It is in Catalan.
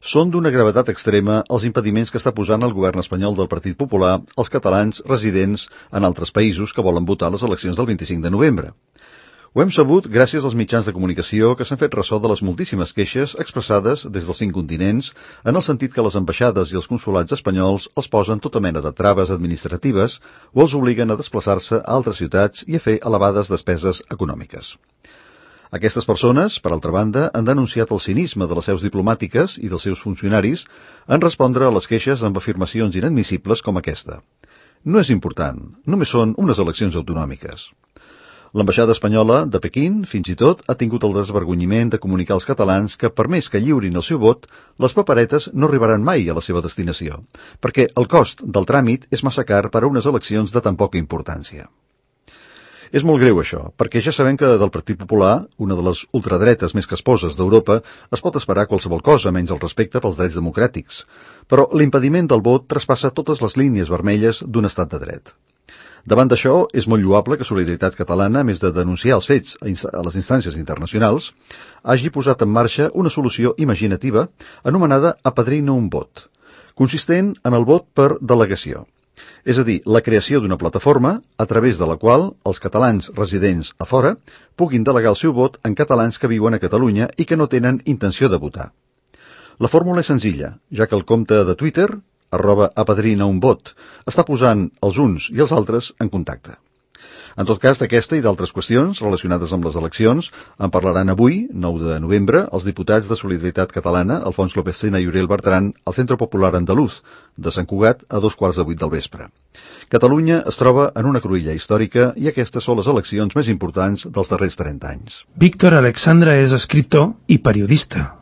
Són d'una gravetat extrema els impediments que està posant el govern espanyol del Partit Popular als catalans residents en altres països que volen votar a les eleccions del 25 de novembre. Ho hem sabut gràcies als mitjans de comunicació que s'han fet ressò de les moltíssimes queixes expressades des dels 5 continents en el sentit que les ambaixades i els consolats espanyols els posen tota mena de traves administratives o els obliguen a desplaçar-se a altres ciutats i a fer elevades despeses econòmiques. Aquestes persones, per altra banda, han denunciat el cinisme de les seus diplomàtiques i dels seus funcionaris en respondre a les queixes amb afirmacions inadmissibles com aquesta. No és important, només són unes eleccions autonòmiques. L'ambaixada espanyola de Pequín, fins i tot, ha tingut el desvergonyiment de comunicar als catalans que, per més que lliurin el seu vot, les paperetes no arribaran mai a la seva destinació, perquè el cost del tràmit és massa car per a unes eleccions de tan poca importància. És molt greu això, perquè ja sabem que del Partit Popular, una de les ultradretes més casposes d'Europa, es pot esperar qualsevol cosa menys el respecte pels drets democràtics. Però l'impediment del vot traspassa totes les línies vermelles d'un estat de dret. Davant d'això, és molt lloable que Solidaritat Catalana, a més de denunciar els fets a les instàncies internacionals, hagi posat en marxa una solució imaginativa anomenada Apadrina un vot, consistent en el vot per delegació. És a dir, la creació d'una plataforma a través de la qual els catalans residents a fora puguin delegar el seu vot en catalans que viuen a Catalunya i que no tenen intenció de votar. La fórmula és senzilla, ja que el compte de Twitter, @apadrinaunvot, està posant els uns i els altres en contacte. En tot cas, d'aquesta i d'altres qüestions relacionades amb les eleccions en parlaran avui, 9 de novembre, els diputats de Solidaritat Catalana, Alfons López Tena i Uriel Bertran, al Centre Popular Andalús de Sant Cugat a 2:15 del vespre. Catalunya es troba en una cruïlla històrica i aquestes són les eleccions més importants dels darrers 30 anys. Víctor Alexandra és escriptor i periodista.